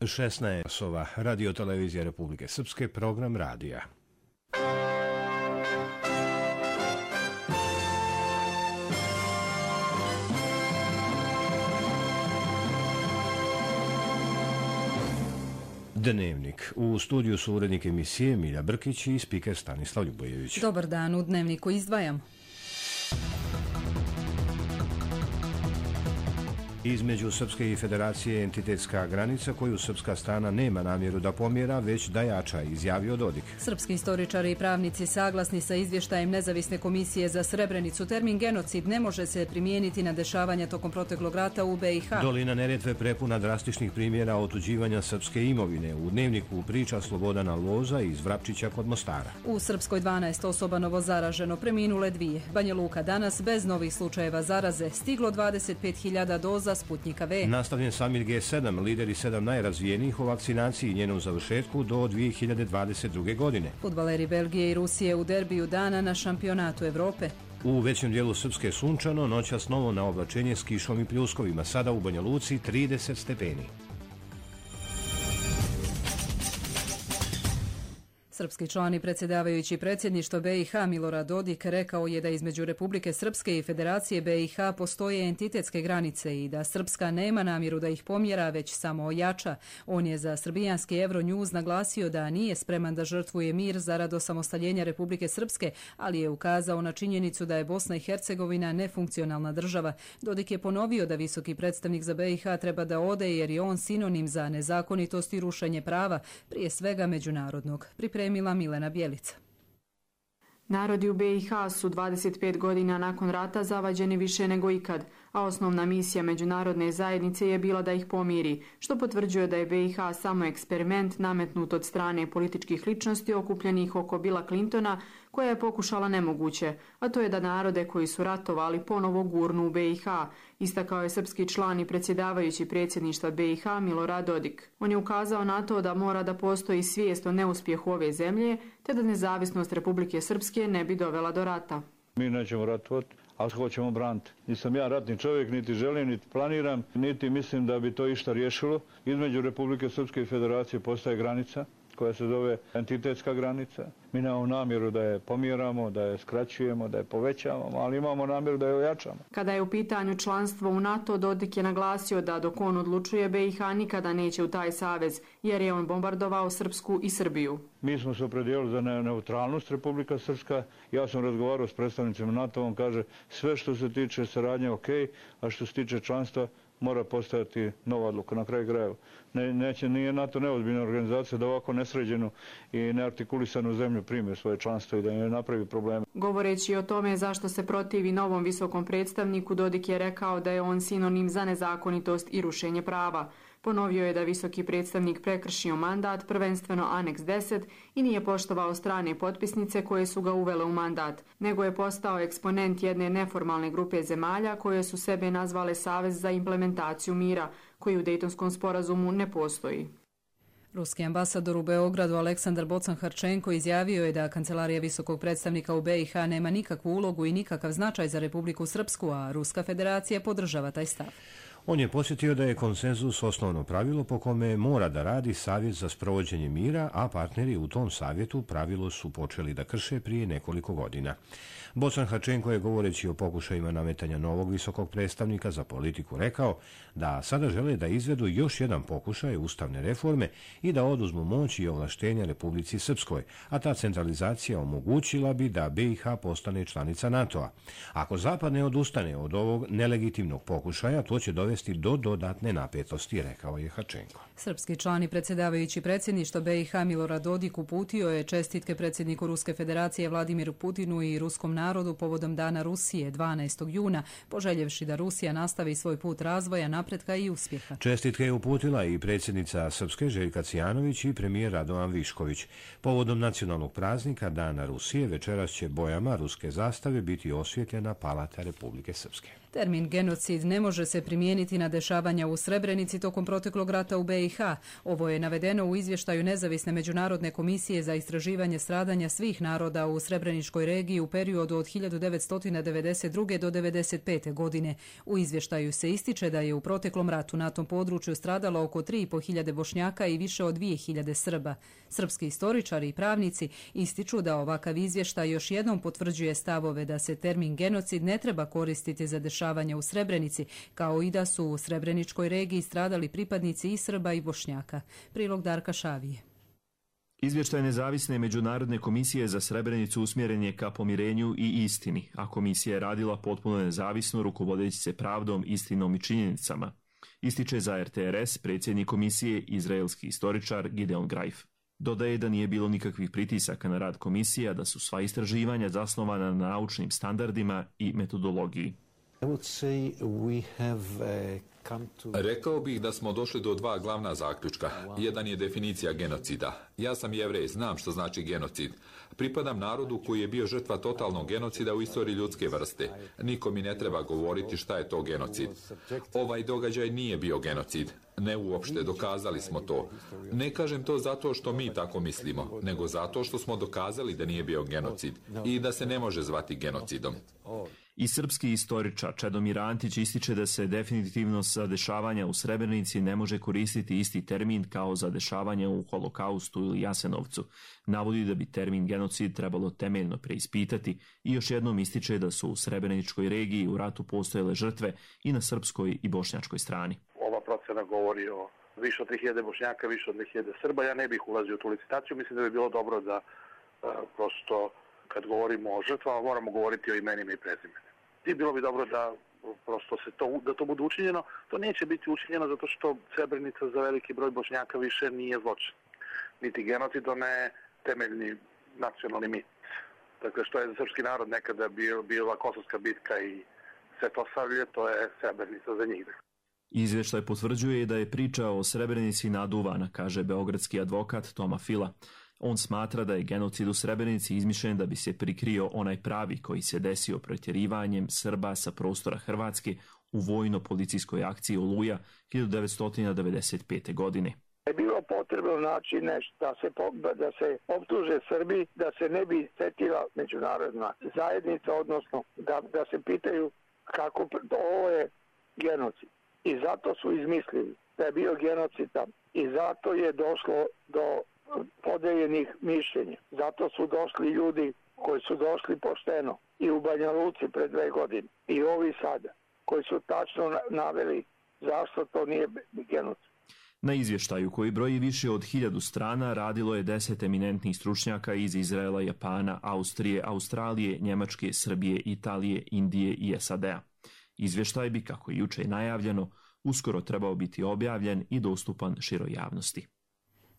16 časova, Radio televizija Republike Srpske, program radija. Dnevnik. U studiju su urednik emisije Milja Brkić i spiker Stanislav Ljubojević. Dobar dan, u Dnevniku izdvajam. Između Srpske i Federacije entitetska granica koju srpska strana nema namjeru da pomjera, već da jača, izjavio Dodik. Srpski istoričari i pravnici saglasni sa izvještajem Nezavisne komisije za Srebrenicu. Termin genocid ne može se primijeniti na dešavanja tokom proteklog rata u BiH. Dolina Neretve prepuna drastičnih primjera otuđivanja srpske imovine. U Dnevniku priča Slobodana Loza iz Vrapčića kod Mostara. U Srpskoj 12 osoba novozaraženo, preminule 2. Banja Luka danas bez novih slučajeva zaraze. Stiglo 25.000 doza Sputnjika V. Nastavljen samit G7, lideri 7 najrazvijenijih o vakcinaciji i njenom završetku do 2022. godine. Fudbaleri Belgije i Rusije u derbiju dana na šampionatu Evrope. U većem dijelu Srpske sunčano, noćas novo na oblačenje s kišom i pljuskovima, sada u Banja Luci 30 stepeni. Srpski član i predsjedavajući predsjedništva BiH Milorad Dodik rekao je da između Republike Srpske i Federacije BiH postoje entitetske granice i da Srpska nema namjeru da ih pomjera, već samo ojača. On je za srbijanski Euronews naglasio da nije spreman da žrtvuje mir zarad osamostaljenja Republike Srpske, ali je ukazao na činjenicu da je Bosna i Hercegovina nefunkcionalna država. Dodik je ponovio da visoki predstavnik za BiH treba da ode jer je on sinonim za nezakonitost i rušenje prava, prije svega međunarodnog. Milena Bjelica. Narodi u BiH su 25 godina nakon rata zavađeni više nego ikad, a osnovna misija međunarodne zajednice je bila da ih pomiri, što potvrđuje da je BiH samo eksperiment nametnut od strane političkih ličnosti okupljenih oko Billa Clintona, koja je pokušala nemoguće, a to je da narode koji su ratovali ponovo gurnu u BiH, istakao je srpski član i predsjedavajući predsjedništva BiH Milorad Dodik. On je ukazao na to da mora da postoji svijest o neuspjehu ove zemlje, te da nezavisnost Republike Srpske ne bi dovela do rata. Mi nećemo ratovati, ali hoćemo braniti. Nisam ja ratni čovjek, niti želim, niti planiram, niti mislim da bi to išta riješilo. Između Republike Srpske i Federacije postaje granica koja se zove entitetska granica. Mi nemamo namjeru da je pomjeramo, da je skraćujemo, da je povećavamo, ali imamo namjeru da je ojačamo. Kada je u pitanju članstvo u NATO, Dodik je naglasio da dok on odlučuje, BiH nikada neće u taj savez, jer je on bombardovao Srpsku i Srbiju. Mi smo se opredijelili za neutralnost Republika Srpska. Ja sam razgovarao s predstavnicima NATO, on kaže sve što se tiče saradnje ok, a što se tiče članstva mora postojati nova odluka. Na kraju krajeva nije NATO neozbiljna organizacija da ovako nesređenu i neartikulisanu zemlju primi u svoje članstvo i da ne napravi probleme. Govoreći o tome zašto se protivi novom visokom predstavniku, Dodik je rekao da je on sinonim za nezakonitost i rušenje prava. Ponovio je da visoki predstavnik prekršio mandat, prvenstveno Aneks 10, i nije poštovao strane potpisnice koje su ga uvele u mandat, nego je postao eksponent jedne neformalne grupe zemalja koje su sebe nazvale Savez za implementaciju mira, koji u Dejtonskom sporazumu ne postoji. Ruski ambasador u Beogradu Aleksandar Bocan-Harčenko izjavio je da Kancelarija visokog predstavnika u BiH nema nikakvu ulogu i nikakav značaj za Republiku Srpsku, a Ruska federacija podržava taj stav. On je podsjetio da je konsenzus osnovno pravilo po kome mora da radi Savjet za sprovođenje mira, a partneri u tom savjetu pravilo su počeli da krše prije nekoliko godina. Bocan-Harčenko je, govoreći o pokušajima nametanja novog visokog predstavnika za politiku, rekao da sada žele da izvedu još jedan pokušaj ustavne reforme i da oduzmu moć i ovlaštenja Republici Srpskoj, a ta centralizacija omogućila bi da BiH postane članica NATO-a. Ako Zapad ne odustane od ovog nelegitimnog pokušaja, to će dovesti do dodatne napetosti, rekao je Harčenko. Srpski član i predsjedavajući predsjedništva BiH Milorad Dodik uputio je čestitke predsjedniku Ruske federacije Vladimiru Putinu i ruskom narodu povodom Dana Rusije 12. juna, poželjevši da Rusija nastavi svoj put razvoja, napretka i uspjeha. Čestitke je uputila i predsjednica Srpske Željka Cijanović i premijer Radovan Višković. Povodom nacionalnog praznika Dana Rusije večeras će bojama ruske zastave biti osvjetljena Palata Republike Srpske. Termin genocid ne može se primijeniti niti na dešavanja u Srebrenici tokom proteklog rata u BiH. Ovo je navedeno u izvještaju Nezavisne međunarodne komisije za istraživanje stradanja svih naroda u Srebreničkoj regiji u periodu od 1992. do 1995. godine. U izvještaju se ističe da je u proteklom ratu na tom području stradalo oko 3.500 Bošnjaka i više od 2.000 Srba. Srpski istoričari i pravnici ističu da ovakav izvještaj još jednom potvrđuje stavove da se termin genocid ne treba koristiti za dešavanja u Srebrenici, kao i da su u Srebreničkoj regiji stradali pripadnici i Srba i Bošnjaka. Prilog Darka Šavije. Izvještaj Nezavisne međunarodne komisije za Srebrenicu usmjeren je ka pomirenju i istini, a komisija je radila potpuno nezavisno, rukovodeći se pravdom, istinom i činjenicama. Ističe za RTRS predsjednik komisije, izraelski istoričar Gideon Greif. Dodaje da nije bilo nikakvih pritisaka na rad komisija, da su sva istraživanja zasnovana na naučnim standardima i metodologiji. Rekao bih da smo došli do dva glavna zaključka. Jedan je definicija genocida. Ja sam Jevrej, znam što znači genocid. Pripadam narodu koji je bio žrtva totalnog genocida u istoriji ljudske vrste. Niko mi ne treba govoriti šta je to genocid. Ovaj događaj nije bio genocid. Ne uopšte, dokazali smo to. Ne kažem to zato što mi tako mislimo, nego zato što smo dokazali da nije bio genocid i da se ne može zvati genocidom. I srpski istoričar Čedomir Antić ističe da se definitivno za dešavanja u Srebrenici ne može koristiti isti termin kao za dešavanja u Holokaustu ili Jasenovcu. Navodi da bi termin genocid trebalo temeljno preispitati i još jednom ističe da su u Srebreničkoj regiji u ratu postojale žrtve i na srpskoj i bošnjačkoj strani. Ova procena govori o više od 3.000 Bošnjaka, više od 2.000 Srba. Ja ne bih ulazio u tu licitaciju. Mislim da bi bilo dobro da prosto kad govorimo o žrtvama moramo govoriti o imenima i prezimenima. I bilo bi dobro da prosto da to bude učinjeno. To neće biti učinjeno zato što Srebrenica za veliki broj Bošnjaka više nije zločin. Niti genocid, to ne je temeljni nacionalni mit. Dakle, što je za srpski narod nekada bila Kosovska bitka i Svetosavlje, to je Srebrenica za njih. Izvještaj potvrđuje da je priča o Srebrenici naduvana, kaže beogradski advokat Toma Fila. On smatra da je genocid u Srebrenici izmišljen da bi se prikrio onaj pravi koji se desio protjerivanjem Srba sa prostora Hrvatske u vojno-policijskoj akciji Oluja 1995. godine. Je bilo potrebno naći nešto da se optuže Srbi, da se ne bi setila međunarodna zajednica, odnosno da se pitaju kako ovo je genocid. I zato su izmislili da je bio genocid tam. I zato je došlo do podeljenih mišljenja. Zato su došli ljudi koji su došli pošteno i u Banja Luci pre 2 godine i ovi sada koji su tačno naveli zašto to nije genocid. Na izvještaju koji broji više od 1000 strana radilo je 10 eminentnih stručnjaka iz Izraela, Japana, Austrije, Australije, Njemačke, Srbije, Italije, Indije i SAD-a. Izvještaj bi, kako je juče najavljeno, uskoro trebao biti objavljen i dostupan široj javnosti.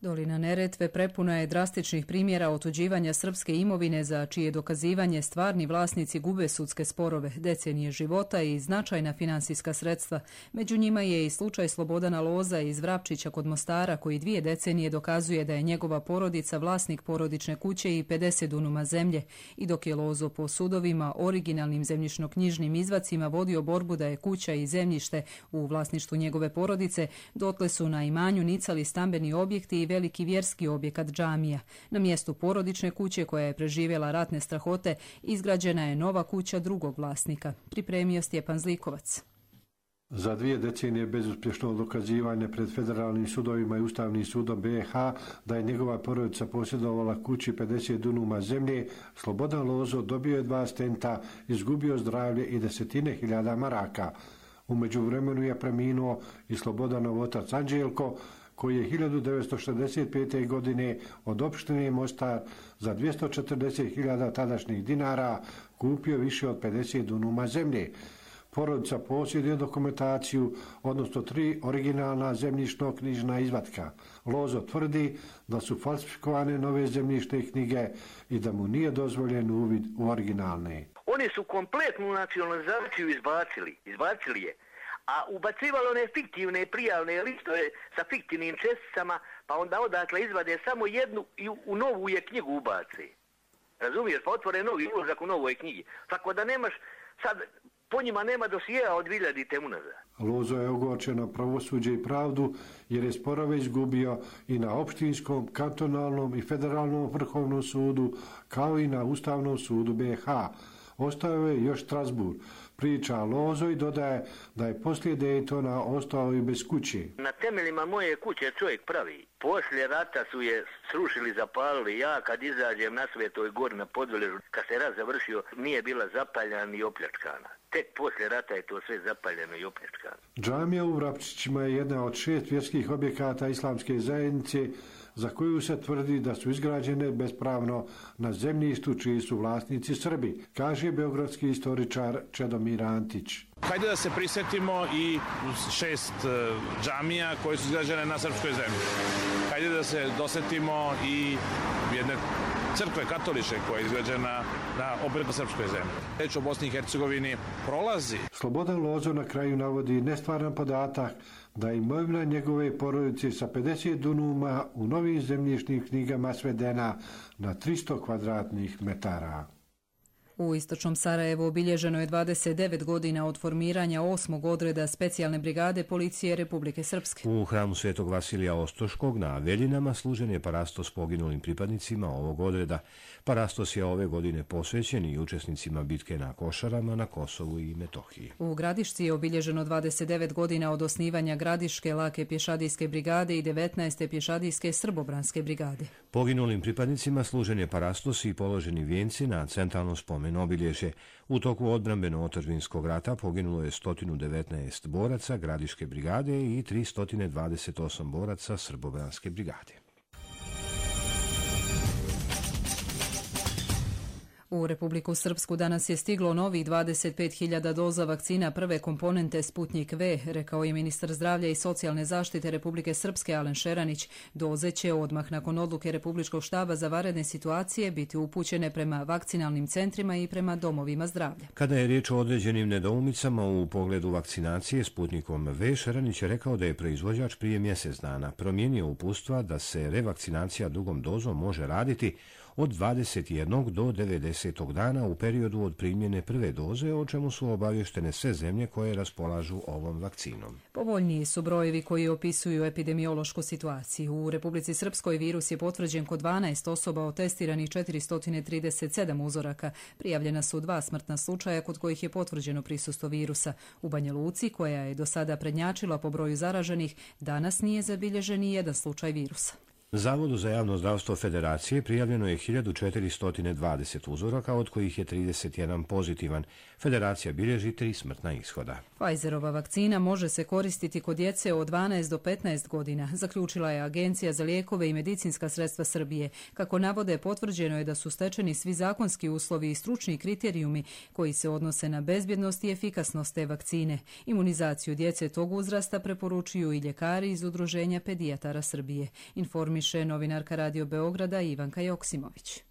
Dolina Neretve prepuna je drastičnih primjera otuđivanja srpske imovine za čije dokazivanje stvarni vlasnici gube sudske sporove, decenije života i značajna finansijska sredstva. Među njima je i slučaj Slobodana Loza iz Vrapčića kod Mostara, koji 2 decenije dokazuje da je njegova porodica vlasnik porodične kuće i 50 dunuma zemlje. I dok je Lozo po sudovima originalnim zemljišno-knjižnim izvacima vodio borbu da je kuća i zemljište u vlasništvu njegove porodice, dotle su na imanju nicali stambeni objekti i veliki vjerski objekat džamija. Na mjestu porodične kuće koja je preživjela ratne strahote izgrađena je nova kuća drugog vlasnika. Pripremio Stjepan Zlikovac. Za 2 decenije bezuspješno dokazivanje pred federalnim sudovima i Ustavnim sudom BiH da je njegova porodica posjedovala kući 50 dunuma zemlje, Slobodan Lozo dobio je 2 stenta, izgubio zdravlje i 10.000 maraka. U međuvremenu je preminuo i Slobodanov otac Anđelko, koji je 1965. godine od opštine Mostar za 240.000 tadašnjih dinara kupio više od 50 dunuma zemlje. Porodica posjeduje dokumentaciju, odnosno 3 originalna zemljišno-knjižna izvatka. Lozo tvrdi da su falsifikovane nove zemljišne knjige i da mu nije dozvoljen uvid u originalne. Oni su kompletnu nacionalizaciju izbacili je. A ubacivali one fiktivne prijavne listove sa fiktivnim česticama, pa onda odatle izvade samo jednu i u novu je knjigu ubace. Razumiješ, pa otvore novi ulazak u novoj knjigi. Tako da nemaš, sad po njima nema dosijeja od 2000 unazad. Lozo je ogorčen na pravosuđe i pravdu jer je sporove izgubio i na opštinskom, kantonalnom i federalnom vrhovnom sudu, kao i na Ustavnom sudu BiH. Ostao je još Strasbourg. Priča Lozo i dodaje da je poslije Daytona ostao i bez kuće. Na temeljima moje kuće čovjek pravi. Poslije rata su je srušili, zapalili. Ja kad izađem na Svetoj gori na Podveležu, kad se rat završio, nije bila zapaljena ni opljačkana. Tek poslije rata je to sve zapaljeno i opljačkano. Džamija u Vrapčićima je jedna od 6 vjerskih objekata islamske zajednice za koju se tvrdi da su izgrađene bespravno na zemljištu čiji su vlasnici Srbi, kaže beogradski istoričar Čedomir Antić. Hajde da se prisjetimo i 6 džamija koje su izgrađene na srpskoj zemlji. Hajde da se dosetimo i jedne crkve katoličke koja je izgrađena opet na srpskoj zemlji. Reč o Bosni i Hercegovini prolazi. Slobodan Lozo na kraju navodi nestvaran podatak da je imovina njegove porodice sa 50 dunuma u novim zemljišnim knjigama svedena na 300 kvadratnih metara. U istočnom Sarajevu obilježeno je 29 godina od formiranja 8. odreda specijalne brigade policije Republike Srpske. U hramu Svetog Vasilija Ostoškog na Aveljinama služen je parastos poginulim pripadnicima ovog odreda. Parastos je ove godine posvećen i učesnicima bitke na Košarama na Kosovu i Metohiji. U Gradišci je obilježeno 29 godina od osnivanja Gradiške lake pješadijske brigade i 19. pješadijske srbobranske brigade. Poginulim pripadnicima služen je parastos i položeni vijenci na centralnom spomenu obilježje. U toku odbrambeno-otadžbinskog rata poginulo je 119 boraca Gradiške brigade i 328 boraca Srbobranske brigade. U Republiku Srpsku danas je stiglo novih 25.000 doza vakcina prve komponente Sputnik V, rekao je ministar zdravlja i socijalne zaštite Republike Srpske Alen Šeranić. Doze će odmah nakon odluke Republičkog štaba za vanredne situacije biti upućene prema vakcinalnim centrima i prema domovima zdravlja. Kada je riječ o određenim nedoumicama u pogledu vakcinacije Sputnikom V, Šeranić je rekao da je proizvođač prije mjesec dana promijenio uputstva da se revakcinacija drugom dozom može raditi od 21. do 90. dana u periodu od primjene prve doze, o čemu su obavještene sve zemlje koje raspolažu ovom vakcinom. Povoljniji su brojevi koji opisuju epidemiološku situaciju. U Republici Srpskoj virus je potvrđen kod 12 osoba od testiranih 437 uzoraka. Prijavljena su 2 smrtna slučaja kod kojih je potvrđeno prisustvo virusa. U Banja Luci, koja je do sada prednjačila po broju zaraženih, danas nije zabilježen ni jedan slučaj virusa. Zavodu za javno zdravstvo Federacije prijavljeno je 1420 uzoraka, od kojih je 31 pozitivan. Federacija bilježi 3 smrtna ishoda. Pfizerova vakcina može se koristiti kod djece od 12 do 15 godina, zaključila je Agencija za lijekove i medicinska sredstva Srbije. Kako navode, potvrđeno je da su stečeni svi zakonski uslovi i stručni kriterijumi koji se odnose na bezbjednost i efikasnost te vakcine. Imunizaciju djece tog uzrasta preporučuju i ljekari iz Udruženja pedijatara Srbije. Informiše novinarka Radio Beograda Ivanka Joksimović.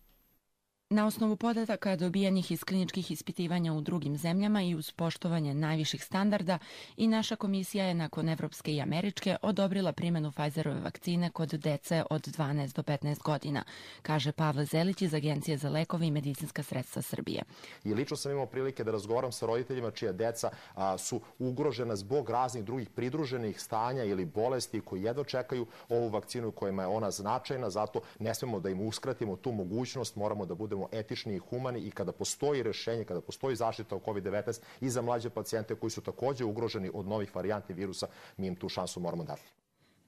Na osnovu podataka dobijenih iz kliničkih ispitivanja u drugim zemljama i uz poštovanje najviših standarda, i naša komisija je nakon evropske i američke odobrila primjenu Pfizerove vakcine kod dece od 12 do 15 godina, kaže Pavle Zelić iz Agencije za lekove i medicinska sredstva Srbije. I lično sam imao prilike da razgovaram sa roditeljima čija deca su ugrožena zbog raznih drugih pridruženih stanja ili bolesti koji jedno čekaju ovu vakcinu kojima je ona značajna, zato ne smemo da im uskratimo tu mogućnost, moramo da budemo etični i humani i kada postoji rešenje, kada postoji zaštita od COVID-19 i za mlađe pacijente koji su također ugroženi od novih varijanti virusa, mi im tu šansu moramo dati.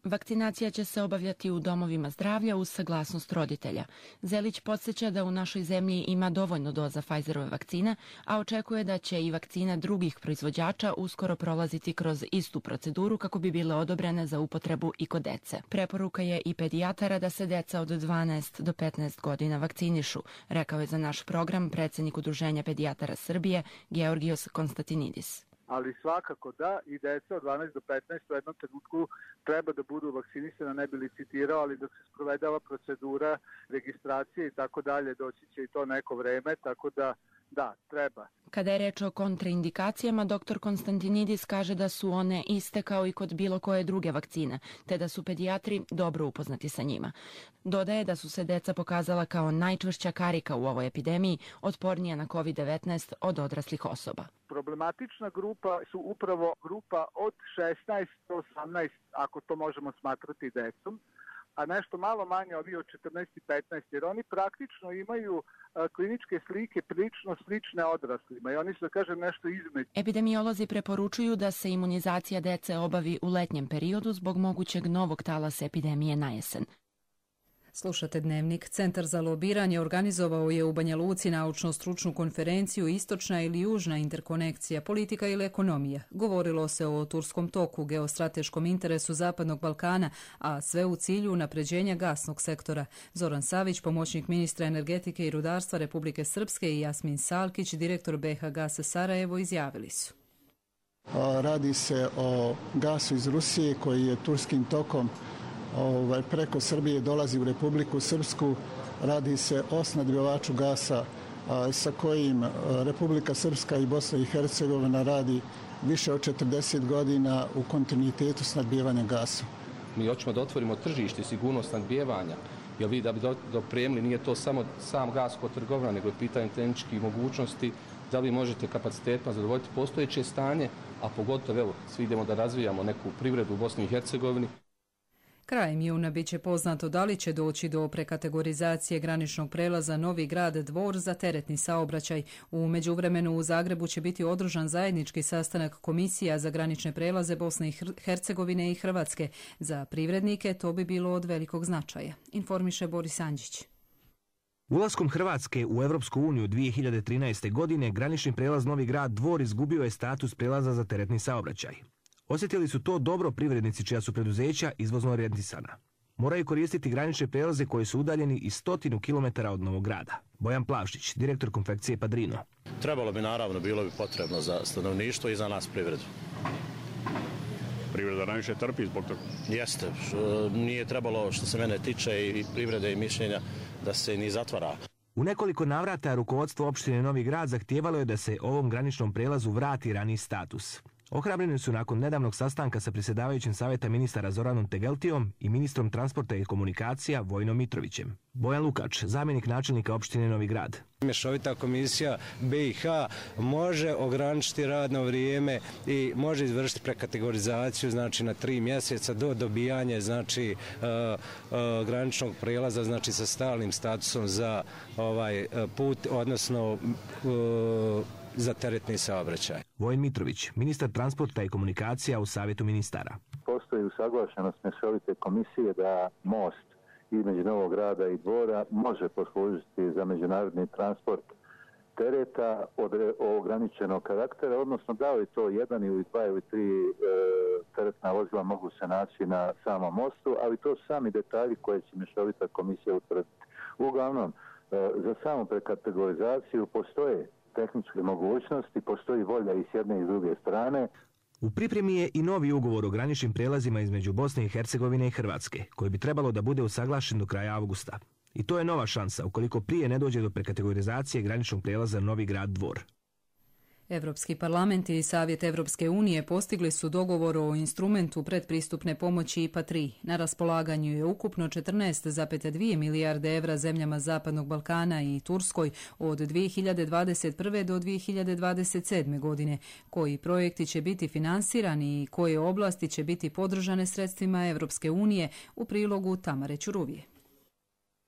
Vakcinacija će se obavljati u domovima zdravlja uz saglasnost roditelja. Zelić podsjeća da u našoj zemlji ima dovoljno doza Pfizerove vakcine, a očekuje da će i vakcina drugih proizvođača uskoro prolaziti kroz istu proceduru kako bi bile odobrene za upotrebu i kod dece. Preporuka je i pedijatara da se deca od 12 do 15 godina vakcinišu, rekao je za naš program predsjednik Udruženja pedijatara Srbije Georgios Konstantinidis. Ali svakako da i deca od 12 do 15 u jednom trenutku treba da budu vakcinisana, ne bi licitirao, ali dok se sprovedava procedura registracije i tako dalje, doći će i to neko vreme, tako da Da, treba. Kada je reč o kontraindikacijama, dr. Konstantinidis kaže da su one iste kao i kod bilo koje druge vakcine, te da su pedijatri dobro upoznati sa njima. Dodaje da su se deca pokazala kao najčvršća karika u ovoj epidemiji, otpornija na COVID-19 od odraslih osoba. Problematična grupa su upravo grupa od 16 do 18, ako to možemo smatrati decom, a nešto malo manje ovi od 14 i 15, jer oni praktično imaju kliničke slike prilično slične odraslima i oni su, da kažem, nešto između. Epidemiolozi preporučuju da se imunizacija dece obavi u letnjem periodu zbog mogućeg novog talasa epidemije na jesen. Slušate Dnevnik. Centar za lobiranje organizovao je u Banja Luci naučno-stručnu konferenciju Istočna ili južna interkonekcija, politika ili ekonomija. Govorilo se o turskom toku, geostrateškom interesu Zapadnog Balkana, a sve u cilju unapređenja gasnog sektora. Zoran Savić, pomoćnik ministra energetike i rudarstva Republike Srpske, i Jasmin Salkić, direktor BH Gasa Sarajevo, izjavili su. Radi se o gasu iz Rusije koji je turskim tokom preko Srbije dolazi u Republiku Srpsku. Radi se o snabdjevaču gasa sa kojim Republika Srpska i Bosna i Hercegovina radi više od 40 godina u kontinuitetu snabdjevanja gasa. Mi hoćemo da otvorimo tržište i sigurnost snabdjevanja, jer vi da bi dopremili nije to samo sam gas kod trgovina, nego je pitanje tehničkih mogućnosti, da li možete kapacitetima zadovoljiti postojeće stanje, a pogotovo evo, svi idemo da razvijamo neku privredu u Bosni i Hercegovini. Krajem juna bit će poznato da li će doći do prekategorizacije graničnog prelaza Novi Grad Dvor za teretni saobraćaj. U međuvremenu u Zagrebu će biti održan zajednički sastanak komisija za granične prelaze Bosne i Hercegovine i Hrvatske. Za privrednike to bi bilo od velikog značaja, informiše Boris Andžić. Ulaskom Hrvatske u Evropsku uniju 2013. godine granični prelaz Novi Grad Dvor izgubio je status prelaza za teretni saobraćaj. Osjetili su to dobro privrednici čija su preduzeća izvozno orijentisana. Moraju koristiti granične prelaze koji su udaljeni i 100 km od Novog Grada. Bojan Plavšić, direktor konfekcije Padrino. Trebalo bi, naravno, bilo bi potrebno za stanovništvo i za nas privredu. Privreda najviše trpi zbog toga? Jeste. Nije trebalo, što se mene tiče, i privrede i mišljenja, da se ni zatvara. U nekoliko navrata rukovodstvo opštine Novi Grad zahtijevalo je da se ovom graničnom prelazu vrati raniji status. Ohrabreni su nakon nedavnog sastanka sa predsjedavajućim savjeta ministara Zoranom Tegeltijom i ministrom transporta i komunikacija Vojnom Mitrovićem. Bojan Lukač, zamjenik načelnika opštine Novi Grad. Mješovita komisija BiH može ograničiti radno vrijeme i može izvršiti prekategorizaciju, znači na 3 mjeseca do dobijanja, znači graničnog prijelaza, znači sa stalnim statusom za ovaj put, odnosno za teretni saobraćaj. Vojin Mitrović, ministar transporta i komunikacija u savjetu ministara. Postoji usaglašenost mješovite komisije da most između Novog Grada i Dvora može poslužiti za međunarodni transport tereta od ograničenog karaktera, odnosno da li to 1 ili 2 ili 3 teretna vozila mogu se naći na samom mostu, ali to su sami detalji koje će mješovita komisija utvrditi. Uglavnom, za samu prekategorizaciju postoje tehničke mogućnosti, postoji volja i s jedne i s druge strane. U pripremi je i novi ugovor o graničnim prelazima između Bosne i Hercegovine i Hrvatske, koji bi trebalo da bude usaglašen do kraja avgusta. I to je nova šansa ukoliko prije ne dođe do prekategorizacije graničnog prelaza Novi Grad Dvor. Evropski parlament i Savjet Evropske unije postigli su dogovor o instrumentu predpristupne pomoći IPA-3. Na raspolaganju je ukupno 14,2 milijarde evra zemljama Zapadnog Balkana i Turskoj od 2021. do 2027. godine. Koji projekti će biti finansirani i koje oblasti će biti podržane sredstvima Evropske unije, u prilogu Tamare Ćuruvije.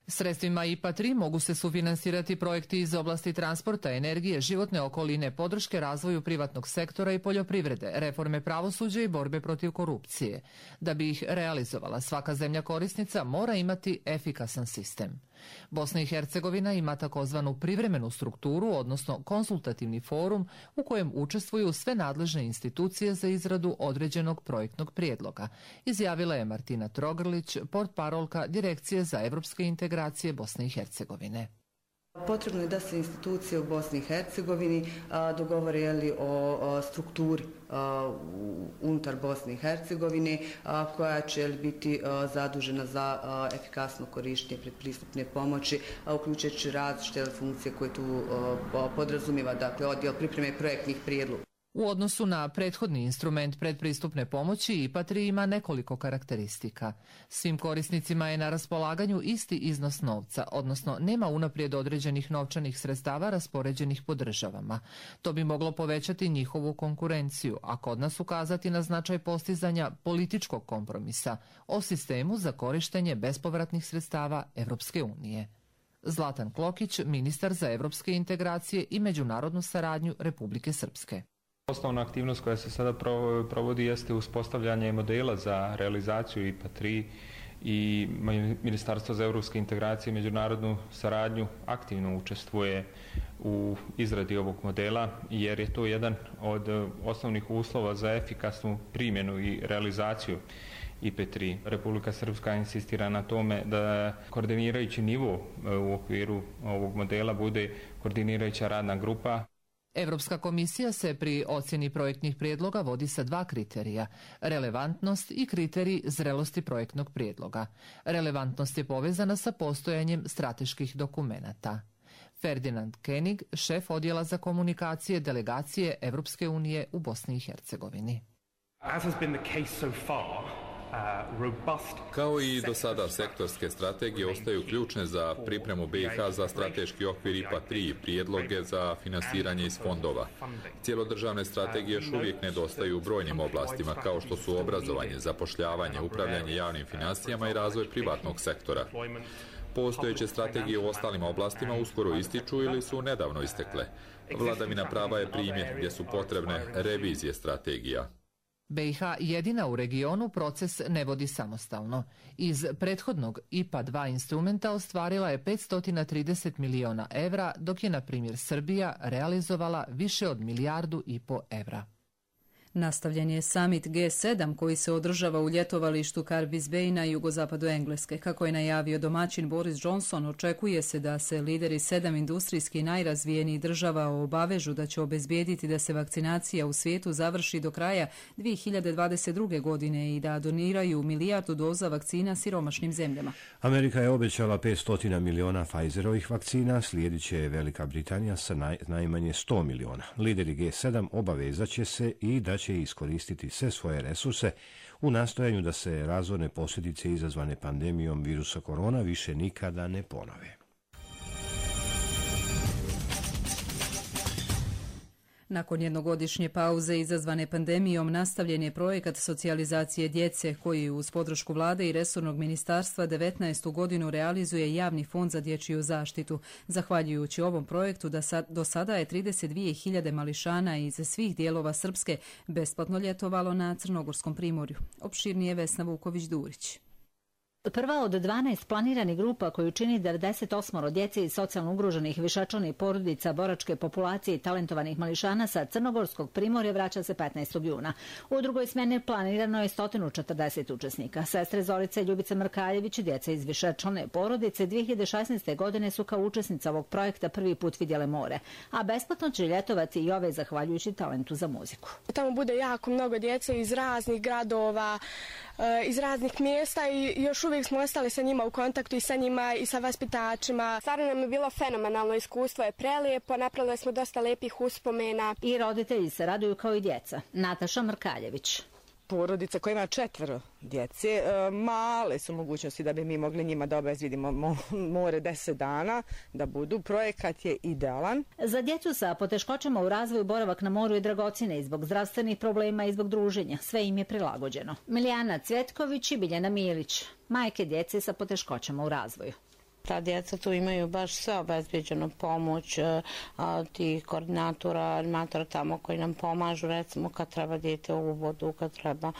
Sredstvima IPA-3 mogu se sufinansirati projekti iz oblasti transporta, energije, životne okoline, podrške razvoju privatnog sektora i poljoprivrede, reforme pravosuđa i borbe protiv korupcije. Da bi ih realizovala, svaka zemlja korisnica mora imati efikasan sistem. Bosna i Hercegovina ima takozvanu privremenu strukturu, odnosno konsultativni forum u kojem učestvuju sve nadležne institucije za izradu određenog projektnog prijedloga, izjavila je Martina Trogrlić, portparolka Direkcije za evropske integracije Bosne i Hercegovine. Potrebno je da se institucije u Bosni i Hercegovini dogovore o strukturi unutar Bosne i Hercegovine koja će biti zadužena za efikasno korištenje predpristupne pomoći, uključujući različite funkcije koje tu podrazumijeva, dakle odjel pripreme projektnih prijedloga. U odnosu na prethodni instrument predpristupne pomoći, IPA 3 ima nekoliko karakteristika. Svim korisnicima je na raspolaganju isti iznos novca, odnosno nema unaprijed određenih novčanih sredstava raspoređenih po državama. To bi moglo povećati njihovu konkurenciju, a kod nas ukazati na značaj postizanja političkog kompromisa o sistemu za korištenje bespovratnih sredstava Evropske unije. Zlatan Klokić, ministar za evropske integracije i međunarodnu saradnju Republike Srpske. Osnovna aktivnost koja se sada provodi jeste uspostavljanje modela za realizaciju IPA 3 i Ministarstvo za evropske integracije i međunarodnu saradnju aktivno učestvuje u izradi ovog modela, jer je to jedan od osnovnih uslova za efikasnu primjenu i realizaciju IPA 3. Republika Srpska insistira na tome da koordinirajući nivo u okviru ovog modela bude koordinirajuća radna grupa. Evropska komisija se pri ocjeni projektnih prijedloga vodi sa dva kriterija, relevantnost i kriterij zrelosti projektnog prijedloga. Relevantnost je povezana sa postojanjem strateških dokumenata. Ferdinand Koenig, šef odjela za komunikacije delegacije Evropske unije u Bosni i Hercegovini. As has been the case so far, Kao i do sada, sektorske strategije ostaju ključne za pripremu BiH za strateški okvir IPA 3 i prijedloge za finansiranje iz fondova. Cijelodržavne strategije još uvijek nedostaju u brojnim oblastima, kao što su obrazovanje, zapošljavanje, upravljanje javnim financijama i razvoj privatnog sektora. Postojeće strategije u ostalim oblastima uskoro ističu ili su nedavno istekle. Vladavina prava je primjer gdje su potrebne revizije strategija. BiH jedina u regionu proces ne vodi samostalno. Iz prethodnog IPA 2 instrumenta ostvarila je 530 miliona evra, dok je, na primjer, Srbija realizovala više od 1,5 milijardu evra. Nastavljen je summit G7 koji se održava u ljetovalištu Carbis Bay na jugozapadu Engleske. Kako je najavio domaćin Boris Johnson, očekuje se da se lideri 7 industrijski najrazvijenijih država obavežu da će obezbijediti da se vakcinacija u svijetu završi do kraja 2022. godine i da doniraju 1 milijardu doza vakcina siromašnim zemljama. Amerika je obećala 500 miliona Pfizerovih vakcina, slijedit će Velika Britanija sa najmanje 100 miliona. Lideri G7 obavezat će se i da će iskoristiti sve svoje resurse u nastojanju da se razorne posljedice izazvane pandemijom virusa korona više nikada ne ponove. Nakon jednogodišnje pauze izazvane pandemijom nastavljen je projekat socijalizacije djece koji uz podršku vlade i resornog ministarstva 19. godinu realizuje Javni fond za dječju zaštitu. Zahvaljujući ovom projektu do sada je 32.000 mališana iz svih dijelova Srpske besplatno ljetovalo na Crnogorskom primorju. Opširnije Vesna Vuković-Durić. Prva od 12 planiranih grupa koju čini 98 djece iz socijalno ugroženih višečlanih porodica, boračke populacije i talentovanih mališana sa Crnogorskog primorja vraća se 15. juna. U drugoj smjeni planirano je 140 učesnika. Sestre Zorica i Ljubica Mrkaljević, djeca iz višečlane porodice, 2016. godine su kao učesnica ovog projekta prvi put vidjele more, a besplatno će ljetovati i ove zahvaljujući talentu za muziku. Tamo bude jako mnogo djece iz raznih gradova, iz raznih mjesta i još uvijek smo ostali sa njima u kontaktu i sa njima i sa vaspitačima. Stvarno nam je bilo fenomenalno iskustvo, je prelijepo, napravili smo dosta lijepih uspomena. I roditelji se raduju kao i djeca. Nataša Mrkaljević. Porodica koja ima 4 djece, male su mogućnosti da bi mi mogli njima da obezvidimo more 10 dana, da budu. Projekat je idealan. Za djecu sa poteškoćama u razvoju boravak na moru je dragocjene i zbog zdravstvenih problema i zbog druženja. Sve im je prilagođeno. Milijana Cvjetković i Biljana Milić, majke djece sa poteškoćama u razvoju. Ta djeca tu imaju baš sve obezbeđenu pomoć tih koordinatora, animatora tamo koji nam pomažu, recimo kad treba dijete u vodu, kad treba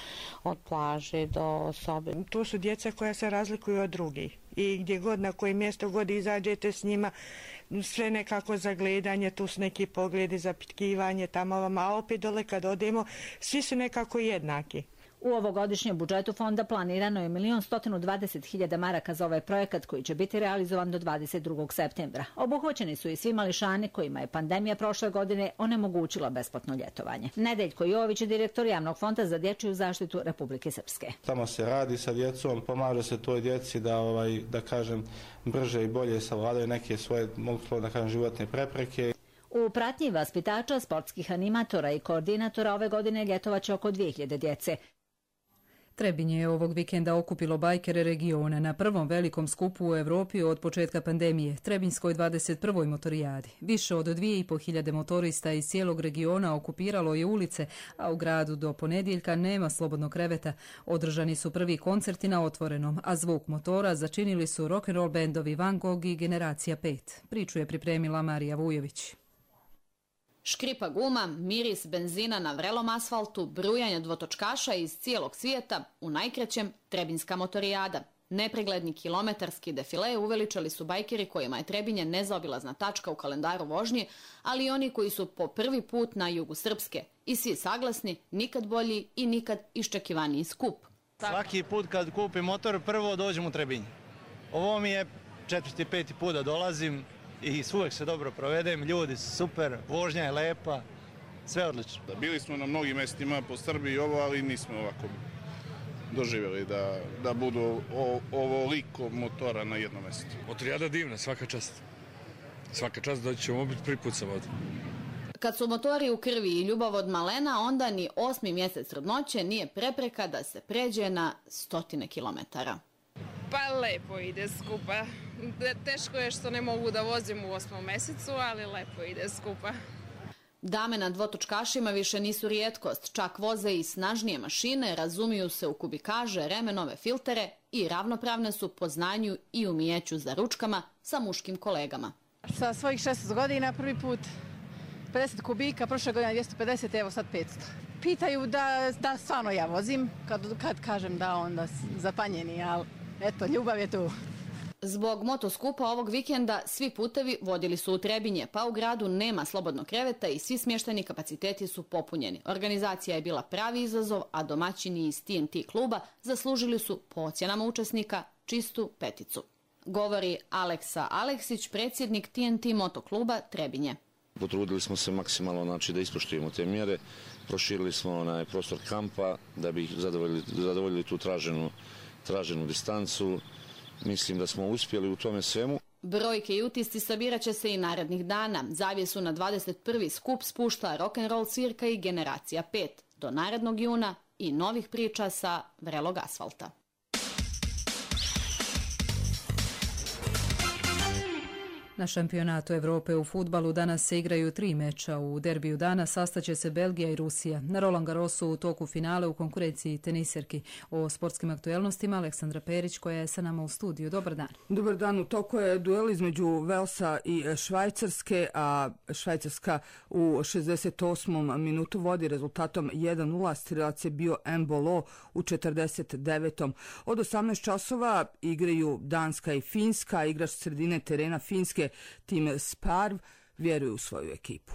od plaže do sobe. To su djeca koja se razlikuju od drugih i gdje god, na koje mjesto god izađete s njima, sve nekako za gledanje, tu su neki pogledi za pitkivanje tamo, a opet dole kad odemo, svi su nekako jednaki. U ovogodišnjem budžetu fonda planirano je 1.120.000 maraka za ovaj projekat koji će biti realizovan do 22. septembra. Obuhvaćeni su i svi mališani kojima je pandemija prošle godine onemogućila besplatno ljetovanje. Nedeljko Jović je direktor Javnog fonda za dječju zaštitu Republike Srpske. Tamo se radi sa djecom, pomaže se toj djeci da kažem, brže i bolje savladaju neke svoje, mogu da kažem, životne prepreke. U pratnji vaspitača, sportskih animatora i koordinatora ove godine ljetovaće oko 2000 djece. Trebinje je ovog vikenda okupilo bajkere regiona na prvom velikom skupu u Evropi od početka pandemije, Trebinjskoj 21. motorijadi. Više od 2500 motorista iz cijelog regiona okupiralo je ulice, a u gradu do ponedjeljka nema slobodnog kreveta. Održani su prvi koncerti na otvorenom, a zvuk motora začinili su rock'n'roll bendovi Van Gogh i Generacija 5. Priču je pripremila Marija Vujović. Škripa guma, miris benzina na vrelom asfaltu, brujanje dvotočkaša iz cijelog svijeta, u najkraćem Trebinjska motorijada. Nepregledni kilometarski defile uveličali su bajkeri kojima je Trebinje nezaobilazna tačka u kalendaru vožnje, ali i oni koji su po prvi put na jugu Srpske. I svi saglasni, nikad bolji i nikad iščekivaniji skup. Svaki put kad kupim motor, prvo dođem u Trebinje. Ovo mi je 4. 5. put da dolazim. I uvijek se dobro provedem, ljudi su super, vožnja je lepa, sve odlično. Bili smo na mnogim mjestima po Srbiji ali nismo ovako doživjeli da budu ovoliko motora na jednom mjestu. Motorijada divna, svaka čast. Svaka čast da ćemo biti prvi put sam ovdje. Kad su motori u krvi i ljubav od malena, onda ni 8. mjesec trudnoće nije prepreka da se pređe na 100 kilometara. Pa lepo ide skupa. Teško je što ne mogu da vozim u 8. mjesecu, ali lepo ide skupa. Dame na dvotočkašima više nisu rijetkost, čak voze i snažnije mašine, razumiju se u kubikaže, remenove, filtere i ravnopravne su po znanju i umijeću za ručkama sa muškim kolegama. Sa svojih 16 godina prvi put 50 kubika, prošle godine 250, evo sad 500. Pitaju da stvarno ja vozim, kad kažem da onda zapanjeni, ali eto, ljubav je tu. Zbog motoskupa ovog vikenda svi putevi vodili su u Trebinje, pa u gradu nema slobodnog kreveta i svi smještajni kapaciteti su popunjeni. Organizacija je bila pravi izazov, a domaćini iz TNT kluba zaslužili su po ocjenama učesnika čistu 5. Govori Aleksa Aleksić, predsjednik TNT motokluba Trebinje. Potrudili smo se maksimalno da ispoštujemo te mjere, proširili smo prostor kampa da bi zadovoljili tu traženu distancu. Mislim da smo uspjeli u tome svemu. Brojke i utisci sabirat će se i narednih dana. Zavjesu na 21. skup spušta rock'n'roll svirka i Generacija 5. Do narednog juna i novih priča sa vrelog asfalta. Na šampionatu Evrope u fudbalu danas se igraju 3 meča. U derbiju dana sastaće se Belgija i Rusija. Na Roland Garrosu u toku finale u konkurenciji teniserki. O sportskim aktuelnostima Aleksandra Perić koja je sa nama u studiju. Dobar dan. Dobar dan. U toku je duel između Velsa i Švajcarske, a Švajcarska u 68. minutu vodi rezultatom 1-0. Strilac je bio Embolo u 49. Od 18 časova igraju Danska i Finska. Igrač sredine terena Finske Tim Sparv vjeruje u svoju ekipu.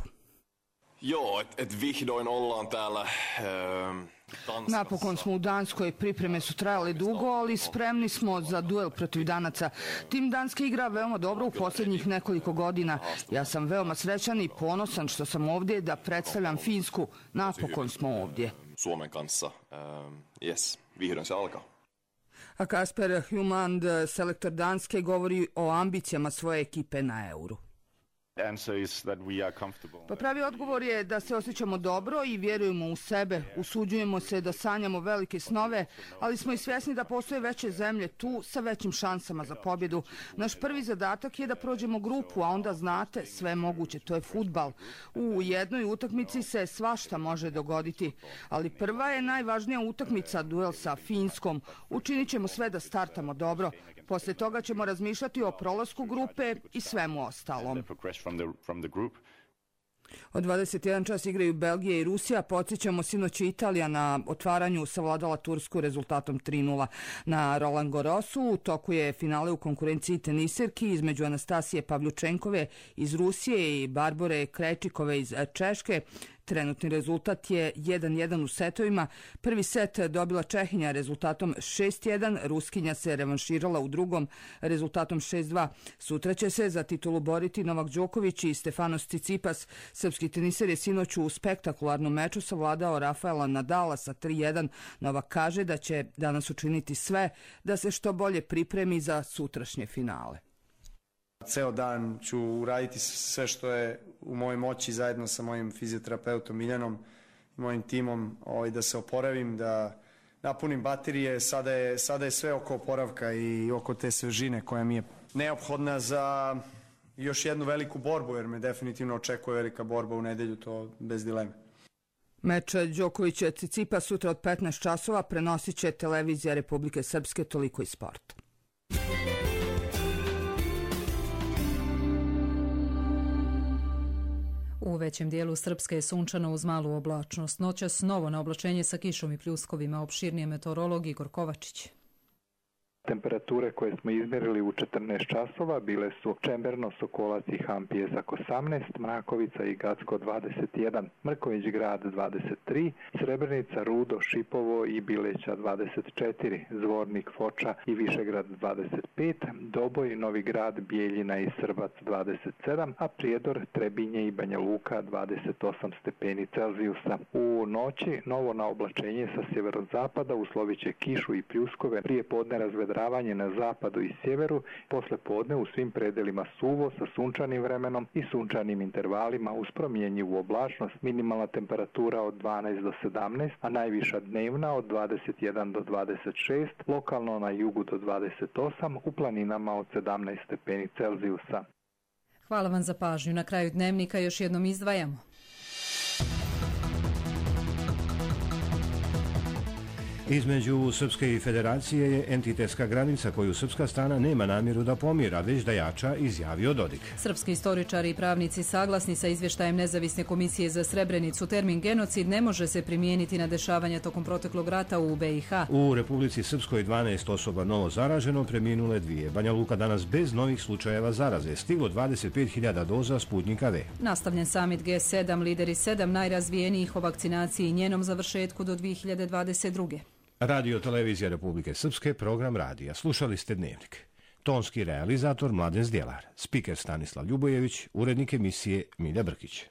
Napokon smo u Danskoj, pripreme su trajale dugo, ali spremni smo za duel protiv Danaca. Tim Danske igra veoma dobro u posljednjih nekoliko godina. Ja sam veoma srećan i ponosan što sam ovdje da predstavljam Finsku. Napokon smo ovdje. A Kasper Hjulmand, selektor Danske, govori o ambicijama svoje ekipe na Euru. Pa pravi odgovor je da se osjećamo dobro i vjerujemo u sebe. Usuđujemo se da sanjamo velike snove, ali smo i svjesni da postoje veće zemlje tu sa većim šansama za pobjedu. Naš prvi zadatak je da prođemo grupu, a onda znate, sve moguće, to je fudbal. U jednoj utakmici se svašta može dogoditi, ali prva je najvažnija utakmica, duel sa Finskom. Učinit ćemo sve da startamo dobro. Poslije toga ćemo razmišljati o prolasku grupe i svemu ostalom. Od 21 čas igraju Belgija i Rusija. Podsjećamo, sinoć je Italija na otvaranju savladala Tursku rezultatom 3-0 na Roland Garrosu. U toku je finale u konkurenciji teniserki između Anastasije Pavljučenkove iz Rusije i Barbore Krejčikove iz Češke. Trenutni rezultat je 1-1 u setovima. Prvi set dobila Čehinja rezultatom 6-1, Ruskinja se revanširala u drugom rezultatom 6-2. Sutra će se za titulu boriti Novak Đoković i Stefanos Tsitsipas. Srpski teniser je sinoć u spektakularnom meču savladao Rafaela Nadala sa 3-1. Novak kaže da će danas učiniti sve da se što bolje pripremi za sutrašnje finale. Ceo dan ću uraditi sve što je u mojoj moći zajedno sa mojim fizioterapeutom Miljanom i mojim timom da se oporavim, da napunim baterije. Sada je sve oko oporavka i oko te svežine koja mi je neophodna za još jednu veliku borbu, jer me definitivno očekuje velika borba u nedelju, to bez dileme. Meč Đoković-Tsitsipas sutra od 15 časova prenosit će televizija Republike Srpske, toliko i sport. U većem dijelu Srpske je sunčano uz malu oblačnost. Noćas novo na oblačenje sa kišom i pljuskovima. Opširnije meteorolog Igor Kovačić. Temperature koje smo izmjerili u 14 časova bile su Čemberno, Sokolac i Han Pjesak 18, Mrakovica i Gacko 21, Mrković grad 23, Srebrenica, Rudo, Šipovo i Bileća 24, Zvornik, Foča i Višegrad 25, Doboj, Novi grad, Bijeljina i Srbac 27, a Prijedor, Trebinje i Banja Luka 28 stepeni Celzijusa. U noći novo na oblačenje sa sjeverozapada uslovit će kišu i pljuskove, prije podne razvedravanje na zapadu i sjeveru, posle podne u svim predelima suvo sa sunčanim vremenom i sunčanim intervalima uz promjenjivu oblačnost, minimalna temperatura od 12 do 17, a najviša dnevna od 21 do 26, lokalno na jugu do 28, u planinama od 17 stepeni Celzijusa. Hvala vam za pažnju. Na kraju dnevnika još jednom izdvajamo. Između Srpske i Federacije je entitetska granica koju srpska strana nema namjeru da pomira, već da jača, izjavio Dodik. Srpski istoričari i pravnici saglasni sa izvještajem Nezavisne komisije za Srebrenicu. Termin genocid ne može se primijeniti na dešavanja tokom proteklog rata u BiH. U Republici Srpskoj 12 osoba novo zaraženo, preminule 2. Banja Luka danas bez novih slučajeva zaraze. Stiglo 25.000 doza Sputnika V. Nastavljen samit G7, lideri 7 najrazvijenijih o vakcinaciji i njenom završetku do 2022. Radio Televizija Republike Srpske, program radija. Slušali ste Dnevnik. Tonski realizator Mladen Zdjelar, spiker Stanislav Ljubojević, urednik emisije Milja Brkić.